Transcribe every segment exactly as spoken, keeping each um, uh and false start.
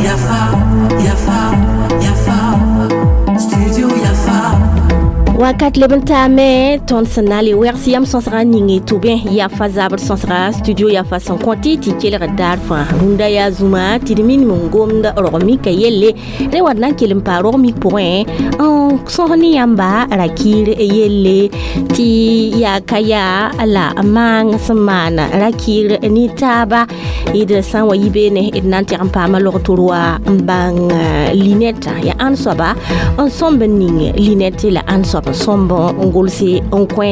Yafa, Yafa, Yafa, Studio Yafa. Wakat leb n taame tõnd sẽn na n le wɛgs yam sõsga ning tʋ bẽ yafa zabr sõsga studio yafa sẽn kõ tɩ tɩ kelg daar fãa rũndã yaa zũma tɩ d minim n gomd rog-mika yelle rẽ wa d na n kell n paa rog-mik pʋgẽ n sõs ne yãmba rakɩɩr yelle tɩ yaa ka yaa la maang sẽn maan rakɩɩr ne taaba d sã n wa yi beene d na n tɛg n paama log-tor wa n bãng linɛtã yaa ãn soaba n sõmb n ning linɛt la ãn soab n sõmb n gʋlse n kõ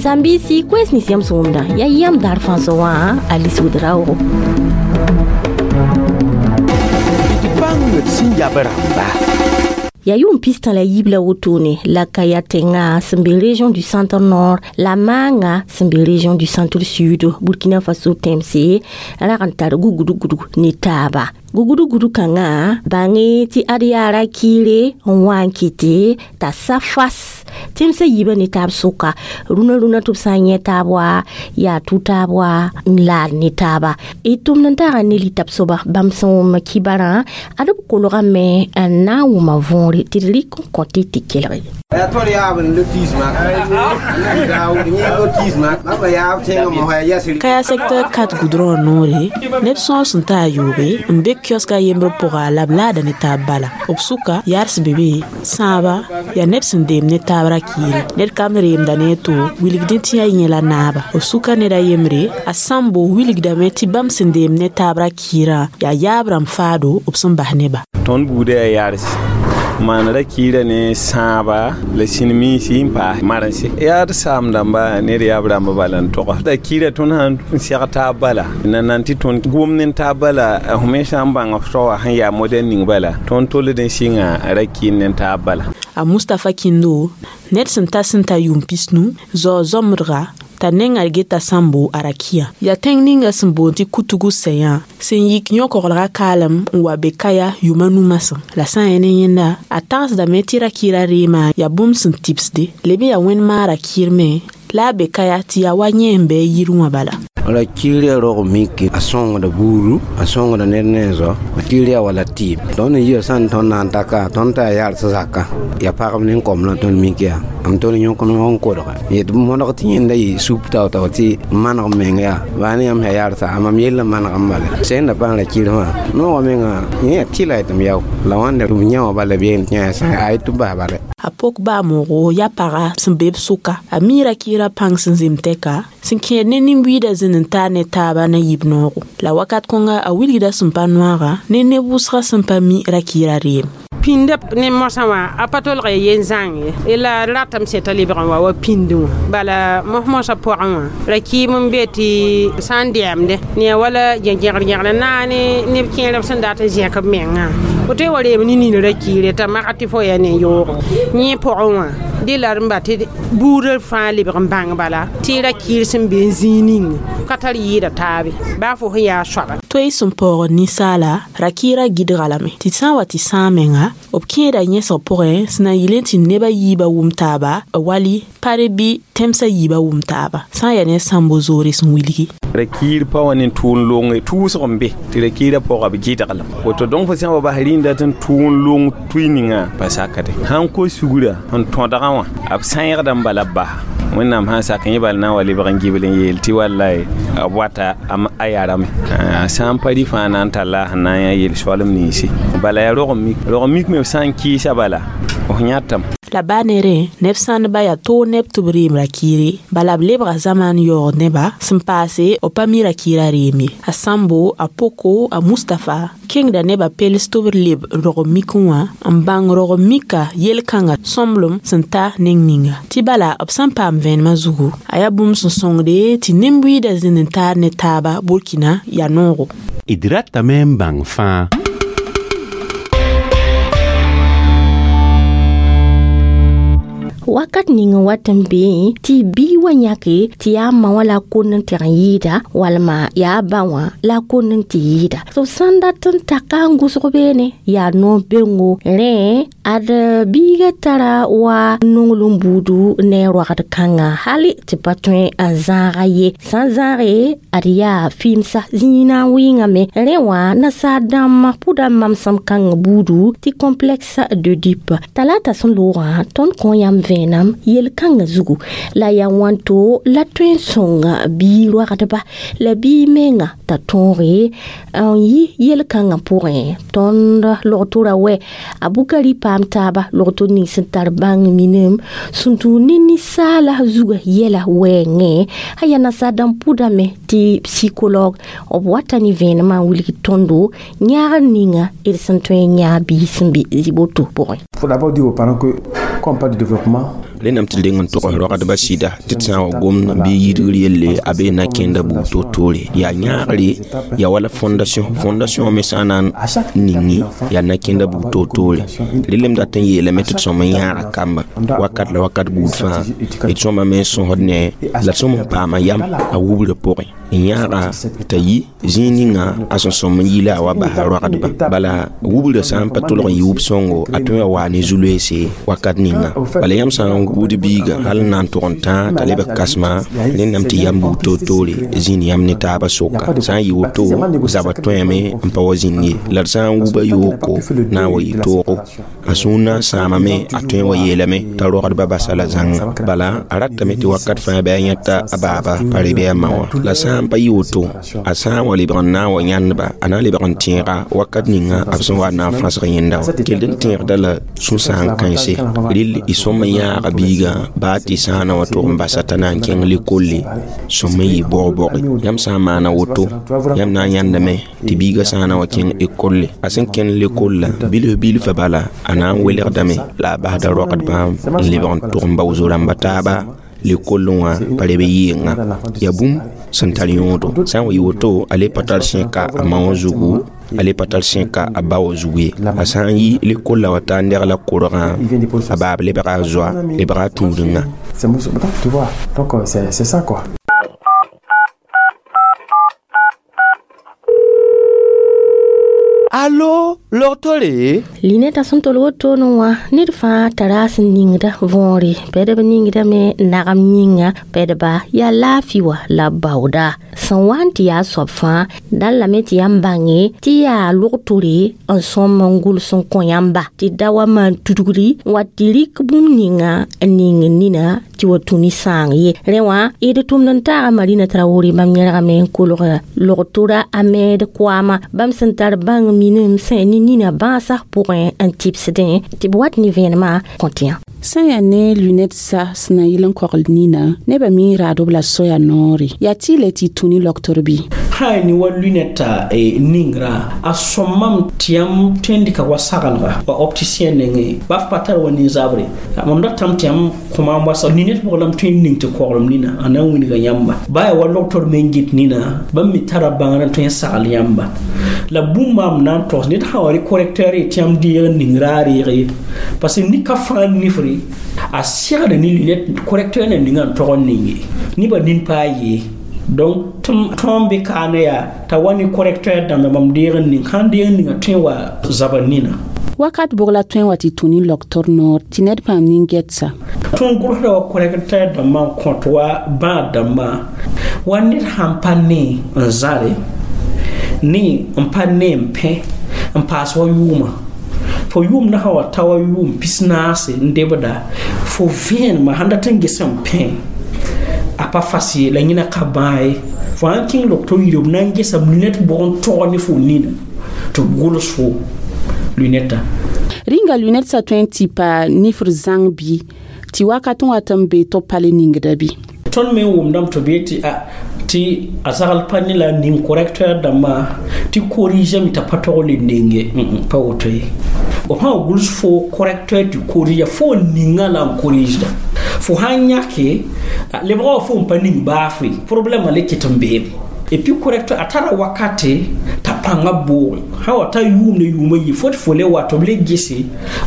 sãn-biisi koɛɛs nins yãmb sẽn wʋmdã yaa yãmb daar fãa sã wã a lisgd raoogo d bãng d sẽn yab rãmba. Yaa yʋʋm pistã la yiib la wotone la ka yaa tẽngã sẽn be région du centre nord la maanga sẽn be région du centre sud Burkina Faso tẽmse rag n tar gugudgudg ne taaba gugudgud kãngã bãnge tɩ ad yaa ra-kɩɩre n wa n kɩte t'a sa fas tẽmsã yiibã ne taab sʋka rũnã rũnã tɩ b sã n yẽ taab wa yaa tʋ taab wa n laad ne taaba d tʋmd n taga ne litab soaba bãmb sẽn wʋm kibarã ad b kolgame n na n wʋma võore tɩ d rɩk n kõ tɩ tɩ kelge. Kaya secteur quatre goudron noore neb sõor sẽn ta a yoobe n be kioska yembr pʋga la b laada ne taab bala b sʋka yaars be be sãaba yaa neb sẽn deem ne taab ra-kɩɩre ned kam reemda ne a to wilgdẽ tɩ yaa yẽ la naaba b sʋka ned a yembre a sãmbo wilgdame tɩ bãmb sẽn deem ne taab ra-kɩɩrã yaa yaab rãmb faado b sẽn bas neba. Tõnd buudã yaa yaars maan ra-kɩɩrã ne sãaba la sĩn-miisɩ n paas marense yaa d saam dãmba ned yaab rãmba bala n toga ra-kɩɩrã tõnd sãn n seg taab bala na nan tɩ tõnd gomd n taab bala f me sã n bãng f taoa sẽn yaa modɛl ning bala tõnd told n sɩnga ra-kɩɩr ne taab bala. A Mustapha Kindo ned sẽn ta sẽn ta yʋʋm pisnu zao zõmbdga t'a nengã geta sãmbo a rakiã yaa tẽng ninga sẽn boond tɩ Kutugu sɛyã sẽn yik yõ-koglga kaalem n wa be kaya yʋma nu masã la sã n yaa ne yẽnda a tagsdame tɩ ra-kɩɩrã reemã yaa bũmb sẽn tibsde leb n yaa wẽnd-maar ra-kɩɩr me la a be kaya tɩ yaa wa yẽ n bɩ a yir wã bala. Ra-kɩɩr yaa rog-miki a sõngda buudu a sõngda ned ne zao ra-kɩɩr yaa wala tɩɩm tõnd n yia sã n tõnd na n taka tõnd t'a yaa yaars zaka yaa pagb ne kom la tõnd mik yaa m tõnd yõk n kodge yet modg tɩ yẽnda yɩ sup tao-tao tɩ maneg meng yaa baa ne yãmb sã yaarsa a mam yell n maneg n bala sẽn da paam ra-kɩɩr fãa noogã menga yẽ yaa tɩla tɩ m yao la wãnda b yã wã bala b yeel tɩ yã sã a tɩ b bas bala. A pok baa moogo yaa paga sẽn be b sʋka a mi ra-kɩɩrã pãng sẽn zem tɛka sẽn kẽed ne nin-buiidã zĩnd n taar ne taaba na yib noogo la wakat kõnga a wilgda sẽn pa noaga ne neb wʋsgã sẽn pa mi ra-kɩɩrã reem. Pĩndã ne mosã wã a pa tolg ya yen zãng ye la ratame sẽn t'a lebg n wa wa pĩndẽ wã bala mos-mosã pʋgẽ wã ra-kɩɩm n be tɩ sã n dɛɛmdẽ ne yaa wala gẽgr-gẽgr naane neb kẽerb sẽn dat n zẽk b mengã woto wa reem ne nin ra-kɩɩre t'a maga tɩ fo yaa ne yoogo yẽ pʋgẽ wã dẽ la d n ba tɩ buudã fãa lebg n bãng bala tɩ ra-kɩɩr sẽn be n zĩig ning ka tar yɩɩda taabe baa fo sẽn yaa soaba. Toy sẽn paoogd ninsaala ra-kɩɩrã gɩdga lame tɩ sã n wa tɩ sãag menga b kẽeda yẽsg pʋgẽ sẽn na n yɩl n tɩ neb a yiibã wʋm taaba wali pare bɩ tẽmsã yiibã wʋm taaba sã n yaa ne sãmbo zoore sẽn wilgi. Ra-kɩɩr pa wa ne tʋʋn long tʋʋsg n be tɩ ra-kɩɩrã pʋga b gɩdglem woto donc fo sã n wa bas rĩnda tɩ n tʋʋn long tʋɩ ninga pa sakde sãn kos sugra n tõdgã wã b sãegda n bala b basa wẽnnaam sã n sak yẽ bal na n wa lebg n gibl n yeel tɩ wallai b wata a yarame sã n pa rɩ fãa na n talla sẽn na n yã yel-soalem ninse bala yaa rog-mik rog-mik me b sã n kɩɩsa bala f yãtame. La baa ne rẽ neb sãndba yaa toog neb tɩ b reem ra-kɩɩre bala b lebga zamaan yaoog nebã sẽn paase b pa mi ra-kɩɩrã reem ye a Sãmbo a Poko a Mustapha kẽngda nebã pels tɩ b leb rog-mik wã n bãng rog-mika yel-kãngã sõmblem sẽn ta neng ninga tɩ bala b sã n paam vẽenemã zugu a yaa bũmb sẽn sõngde tɩ nin-buiidã zĩnd n taar ne taaba Burkina yaa noogo. D ratame n bãng fãa. Wakat ning n wat n beẽ tɩ bii wa yãke tɩ yaa ma wã la a kond n teg n yɩɩda walma yaa ba wã la a kond n tɩ yɩɩda tɩ b sãn dat n taka n gʋsg beene yaa noor bengo rẽ ad biiga tara wa nonglem buudu ne a roagd kãngã hali tɩ pa tõe n zãaga ye sã n zãage ad yaa fɩɩmsa zĩig na n wɩngame rẽ wã nasaar dãmb pʋda mamsem kãng buudu tɩ complexe d'Oedipe talata sẽn loogã tõnd kõ yãmb vẽenam yel-kãngã zugu la yaa wãnto la tõe n sõng bii roagdba la bii menga t'a tõoge n yi yel-kãngã pʋgẽ tõnd logtora wɛ a bukari paam taaba logto ning sẽn tar bãng minim sẽn tũ ne ninsaala zuga yɛla wɛɛngẽ a yaa nasaar dãmb pʋdame tɩ psychologue b wata ne vẽenemã n wilg tõndo yãagr ninga d sẽn tõe n yãag bii sẽn be zɩ-boto pʋgẽ. Faut d'abord dire aux parents que quand on parle de développement, rẽnnam tɩ deng n tog rogdbã sɩda tɩ d sã n wa gomd bɩ yidgr yelle a bee na kẽnda buud to-toore yaa yãagre yaa wala fondation fondation me sã n na n ningi yaa na kẽnda buud to-toore rel m dat n yeelame tɩ d sõm n yãaga kamba wakat la wakat buud fãa d sõmame n sõsd ne la d sõm n paama yam a wubrã pʋgẽ n yãaga t'a yi zĩig ninga a sẽn sõm n yi la a wa basa rogdba bala wubrã sã n pa tolg n yɩ wub-sõngo a tõe wa waa ne zu-loeese wakat ninga bala yãmb sã n wud biiga hal n na n tʋg n tãa t'a lebg kãsema rẽnnam tɩ yam buud toor-toore zĩnd yãmb ne taabã soka sã n yɩ woto zabã tõeme n pa wa zĩnd ye la d sã n wuba yooko na n wa yɩ toogo a sũur na n sãamame a tõe n wa yeelame t'a rogdbã basa la zãnga bala a ratame tɩ wakat fãa bɩ a yẽta a baaba pa re bɩ a ma wã la sã n pa yɩ woto a sã n wa lebg n na n wa yãndba a na n lebg n tẽega wakat ninga b sẽn wa na n fãsg yẽnda wã kell n tẽegda la sũ-sãang kãense rɩl y sõm n yãaga biigã baa tɩ sã n na wa tʋg n basa t'a na n kẽng lekolle sõm n yɩ bog-boge yãmb sã n maana woto yãmb na n yãndame tɩ biigã sã n na wa kẽng ekolle a sẽn kẽnd lekolla bilf bilfã bala a na n welgdame la a basda rogdbã n lebg n tʋg n bao zo-rãmba taaba lekollẽ wã pa reb yɩɩngã yaa bũmb sẽn tar yõodo sã n wa yɩ woto a le pa tar sẽka a ma wã zugu a le pa tar sẽka a ba wã zugu ye a sã n yi lekolla wa taa n degla korgã a baab lebga a zoa lebga a tũudengã. C'est tu vois, donc c'est c'est ça quoi. Allo, logtore? Linɛta sẽn tol wotone wã ned fãa tara a sẽn ningda võore pɛdb ningdame nagem yĩnga pɛdba yaa laafɩ wa la baooda sẽn wa n tɩ yaa soab fãa dãn lame tɩ yãmb bãnge tɩ yaa logtore n sõm n gʋls n kõ yãmba tɩ da wa maan tudgri n wa tɩ rɩk bũmb ninga n ning nina tɩ wa tũ ne sãang ye rẽ wã d tʋmd n taaga Marina Traore bãmb yẽlgame n kolg logtora a meed koaama bãmb sẽn tar bãng minim sẽn ne nina bãasã pʋgẽ n tɩbsdẽ tɩ b wat ne vẽenemã kõ tɩ yã sã n yaa ne lunet sa sẽn na yɩl n kogl nina nebã mi raadb la soya noore yaa tɩ le tɩ tũ ne logtor bɩ sã ne wa lunɛta eh, ningrã a sõmam tɩ yãmb tõe n dɩka wa sagelga wa opticien nengẽ ba f pa tar wa nin-zabre mam datame tɩ yãmb kõma n wa lunɛt pʋgã la m tõe n ning tɩ koglem nina a na n wilga yãmba ba yaa wa logtor me n gɩt nina bãmb me tara bãngr n tõe n sagl yãmba la bũmb maam na n togs ned sã wa rɩ correcteur ye tɩ yãmb deeg n ning raar reeg ye parce que nika fãa nifre a segda ne lunette correcteur na ninga n tog n ninge nebã nin paa yee donc tõem be kaane yaa t'a wa ne correcteur dãmba mam deeg n ning sãn deeg n ninga tõe wa zaba nina wakat bʋg la tõe n wa tɩ tũ ne logtor noor tɩ ned paam nin-gɛtsa tõnd gʋlsda wa correcteur dãmbã n kõt wa bãad dãmbã wa ned sãn pa ne n zãre ne n pa ne n pẽ n paas wa yʋʋmã fo yʋʋm na sã wa ta wa yʋʋm pis-naase n debda fo vẽenemã sãn dat n ges n pẽ a pa fas ye la yẽna ka bãa ye fo sãn kẽng logto yire b na n gesam lunɛt bʋg n tog ne fo nina tɩ b gʋls fo lunɛtã rĩnga lunɛt sa tõe n tɩ pa nifr zãng bɩ tɩ wakat n wat n be tɩ b pa le ningda bɩ tõnd me n wʋmdame tɩ b yetɩ a tɩ a zagl pa ne la ning correcteur dãmbã tɩ corrigame t'a pa tog le nenge pa woto ye b sã wa gʋls fo correcteur tɩ corrige fo ninga la n corrigeda fo sãn yãke lebga wa fo n pa ning baafre problème le ket n beem et puis correcteur a tara wakate t'a pãngã booge sã wa ta yʋʋm ne yʋʋma yi fo tɩ fo le wa tɩ b le gese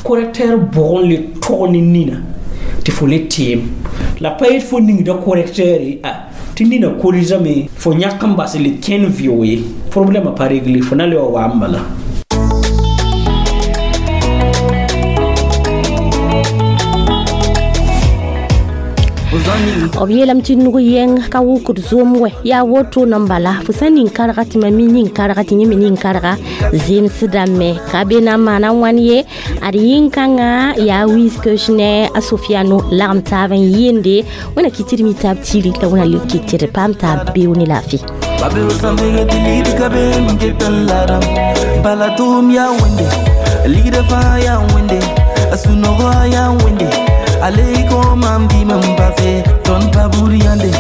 correcteur bʋg n le tog ne nina tɩ Tɩ fo le teem la pa yet fo ningda correcteur a tɩ nina korizame fo yãk n bas le kẽn vɩo ye problème pa réglé fo na le wa wa n bala. B yeelame tɩ nug yɛng ka wʋkd zom wɛ yaa woto n bala fo sã ning karga tɩ mam mi ning karga tɩ yẽ me ning karga zemsdame ka be na n maana wãn ye ad yĩn-kãngã yaa wiis ne a sofiano lagem taab n yɩɩnde wẽna kɩ tɩ d mi taab tiri la wẽna le kɩ tɩ d paam taab beoog ne laafɩ. Bala tʋʋm yaa wẽnde ligdã fãa yaa wẽnde a sũ-noogã yaa wẽnde ale ko mam bɩ mam pase tõnd pa buud yãnde.